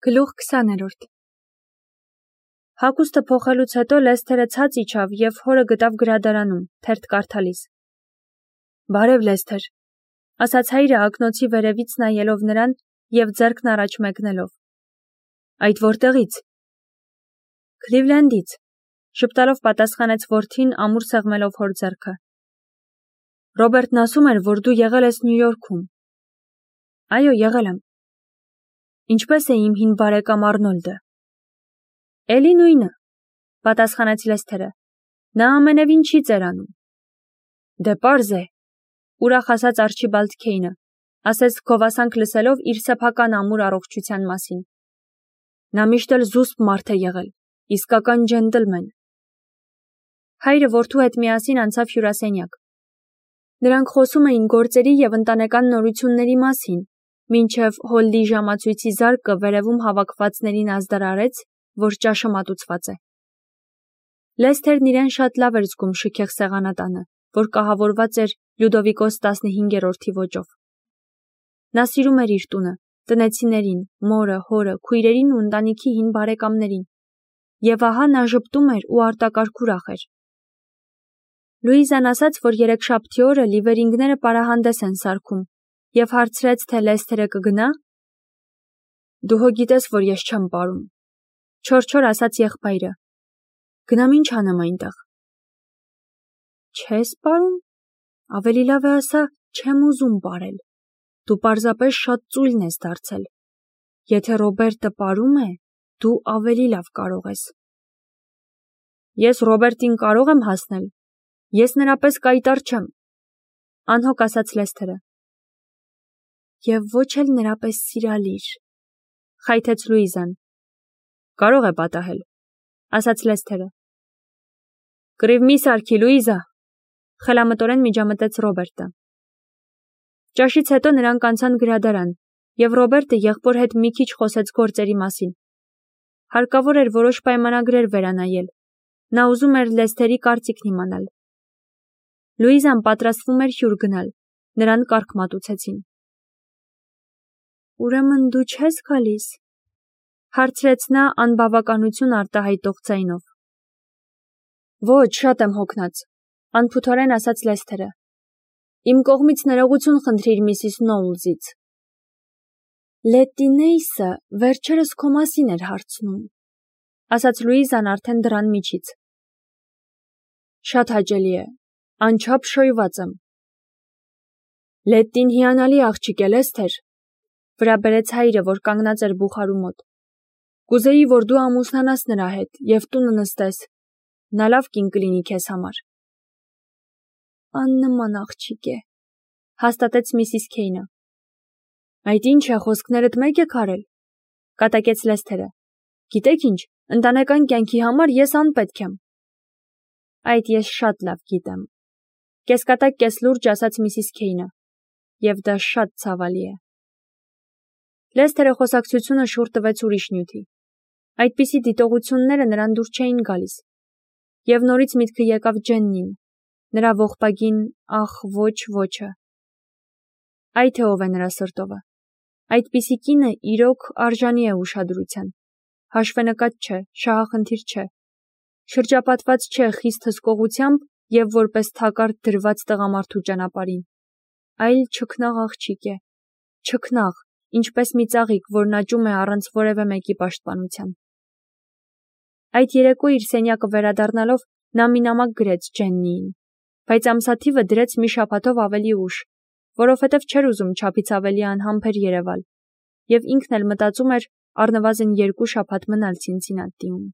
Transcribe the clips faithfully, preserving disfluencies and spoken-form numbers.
Գլուխ քսաներորդ Հագուստը փոխելուց հետո Լեսթերը ցած իջավ և հորը գտավ գրադարանում, թերթ կարդալիս։ Բարև Լեսթեր, ասաց հայրը ակնոցի վերևից նայելով նրան և ձեռքն առաջ մեկնելով։ Այդ որտեղից։ Քլիվլենդից, շպտալով պատասխանեց որդին ամուր սեղմելով հոր ձեռքը։ Ռոբերտն ասում էր, որ դու եղել ես Նյու Յորքում։ Այո, եղել եմ։ Ինչպես է իմ հին բարեկամ Արնոլդը։ Էլի նույնը, պատասխանեց Լեսթերը։ Նա ամենևին չի ծերանում։ Դե պարզ է, ուրախ ասաց Արչիբալդ Քեյնը, ասես գովասանք լսելով իր սեփական ամուր առողջության մասին։ Նա միշտ էլ զուսպ մարդ է եղել, իսկական ջենտլմեն։ Հայրը որդու հետ միասին անցավ հյուրասենյակ։ Նրանք խոսում էին գործերի և ընտանեկան նորությունների մասին, մինչև Հոլլի ժամացույցի զարկը վերևում հավաքվածներին ազդար արեց, որ ճաշը մատուցված է։ Լեսթերն իրեն շատ լավ էր զգում շքեղ սեղանատանը, որ կահավորված էր Լյուդովիկոս տասնհինգերորդի ոճով։ Նա սիրում էր իր տունը, տնեցիներին, մորը, հորը, քույրերին ու ընտանիքի հին բարեկամներին։ Եվ ահա նա ժպտում էր ու արտակարգ ուրախ էր։ Լուիզան ասաց, որ երեքշաբթի օրը Լիվերինգները պարահանդես են սարքում, և հարցրեց, թե Լեսթերը կգնա։ Դու հո գիտես, որ ես չեմ պարում, չոր-չոր ասաց եղբայրը։ Գնամ ինչ անեմ այնտեղ։ Չես պարում։ Ավելի լավ է ասա, չեմ ուզում պարել։ Դու պարզապես շատ ծույլն ես դարձել։ Եթե Ռոբերտը պարում է, դու ավելի լավ կարող ես։ Ես Ռոբերտին կարող եմ հասնել։ Ես նրա պես կայտար չեմ, անհոգ ասաց Լեսթերը։ Եվ ոչ էլ նրա պես սիրալիր, խայթեց Լուիզան։ Կարող է պատահել, ասաց Լեսթերը։ Կռիվ մի սարքի, Լուիզա, խելամտորեն միջամտեց Ռոբերտը։ Ճաշից հետո նրանք անցան գրադարան, և Ռոբերտը եղբոր հետ մի քիչ խոսեց գործերի մասին։ Հարկավոր էր որոշ պայմանագրեր վերանայել։ Նա ուզում էր Լեսթերի կարծիքն իմանալ։ Լուիզան պատրաստվում էր հյուր գնալ, նրան կարգ մատուցեցին։ Ուրեմն դու չես գալիս, հարցրեց նա անբավականություն արտահայտող ձայնով։ Ոչ, շատ եմ հոգնած, անփութորեն ասաց Լեսթերը։ Իմ կողմից ներողություն խնդրիր միսիս Նոուլզից։ Լետտի Նեյսը վերջերս քո մասին էր հարցնում, ասաց Լուիզան արդեն դռան միջից։ Շատ հաճելի է, անչափ շոյված եմ։ Լետտին հիանալի աղջիկ է, Լեսթեր, վրա բերեց հայրը, որ կանգնած էր բուխարու մոտ։ Կուզեի, որ դու ամուսնանաս նրա հետ և տունը նստես։ Նա լավ կին կլինի քեզ համար։ Աննման աղջիկ է, հաստատեց միսիս Քեյնը։ Այդ ինչ է, խոսքներդ մեկ եք արել, կատակեց Լեսթերը։ Գիտեք ինչ, ընտանեկան կյանքի համար ես անպետք եմ։ Այդ ես շատ լավ գիտեմ, կեսկատակ կեսլուրջ ասաց միսիս Քեյնը, և դա շատ ցավալի է։ Լեսթերը խոսակցությունը շուռ տվեց ուրիշ նյութի։ Այդպիսի դիտողությունները նրան դուր չէին գալիս։ Եվ նորից միտքը եկավ Ջեննին, նրա ողբագին ախ ոչ ոչը։ Այ թե ով է նրա սրտովը։ Այդպիսի կինը իրոք արժանի է ուշադրության։ Հաշվենկատ չէ, շահախնդիր չէ։ Շրջապատված չէ խիստ հսկողությամբ և որպես թակարդ դրված տղամարդու ճանապարհին, այլ չքնաղ աղջիկ է, չքնաղ, ինչպես մի ծաղիկ, որն աճում է առանց որևէ մեկի պաշտպանության։ Այդ երեկո իր սենյակը վերադառնալով նա մի նամակ գրեց Ջեննիին, բայց ամսաթիվը դրեց մի շաբաթով ավելի ուշ, որովհետև չէր ուզում չափից ավելի անհամբեր երևալ, և ինքն էլ մտածում էր առնվազն երկու շաբաթ մնալ Ցինցինատիում։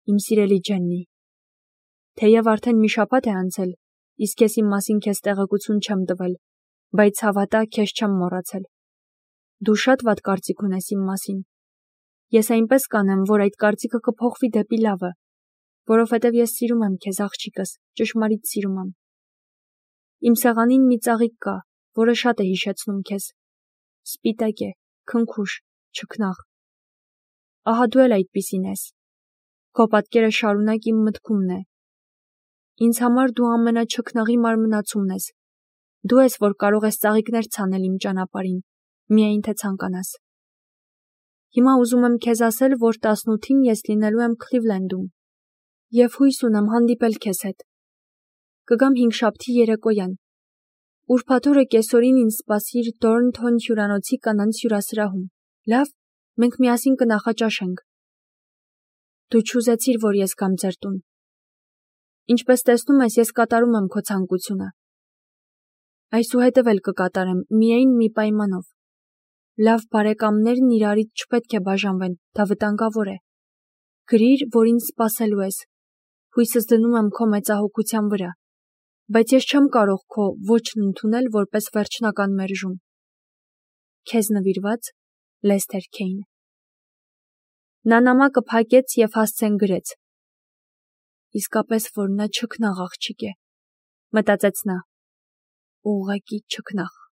Իմ սիրելի Ջեննի, թեև արդեն մի շաբաթ է անցել, իսկ ես իմ մասին քեզ տեղեկություն չեմ տվել, բայց հավատա, քեզ չեմ մոռացել։ Դու շատ վատ կարծիք ունես իմ մասին։ Ես այնպես կանեմ, որ այդ կարծիքը կփոխվի դեպի լավը, որովհետև ես սիրում եմ քեզ, աղջիկս, ճշմարիտ սիրում եմ։ Իմ սեղանին մի ծաղիկ կա, որը շատ է հիշեցնում քեզ։ Սպիտակ է, քնքուշ, չքնաղ։ Ահա դու էլ այդպիսին ես։ Քո պատկերը շարունակ իմ մտքումն է։ Ինձ համար դու ամենաչքնաղի մարմնացումն ես։ Դու ես, որ կարող ես ծաղիկներ ցանել իմ ճանապարհին, միայն թե ցանկանաս։ Հիմա ուզում եմ քեզ ասել, որ տասնութին ես լինելու եմ Քլիվլենդում և հույս ունեմ հանդիպել քեզ հետ։ Կգամ հինգշաբթի երեկոյան։ Ուրբաթ օրը կեսօրին ինձ սպասիր Thornton հյուրանոցի կանանց հյուրասրահում։ Լավ, մենք միասին կնախաճաշենք։ Դու չուզեցիր, որ ես գամ ձեր տուն։ Ինչպես տեսնում ես, ես կատարում եմ քո ցանկությունը։ Այսուհետև էլ կկատարեմ, միայն մի պայմանով։ Լավ բարեկամներն իրարից չպետք է բաժանվեն, դա վտանգավոր է։ Գրիր, որ ինձ սպասելու ես։ Հույսս դնում եմ քո մեծահոգության վրա, բայց ես չեմ կարող քո ոչն ընդունել որպես վերջնական մերժում։ Քեզ նվիրված Լեսթեր Քեյն։ Նա նամակը փակեց և հասցեն գրեց։ Իսկապես, որ նա չքնաղ աղջիկ է, մտածեց նա, ուղղակի չքնաղ։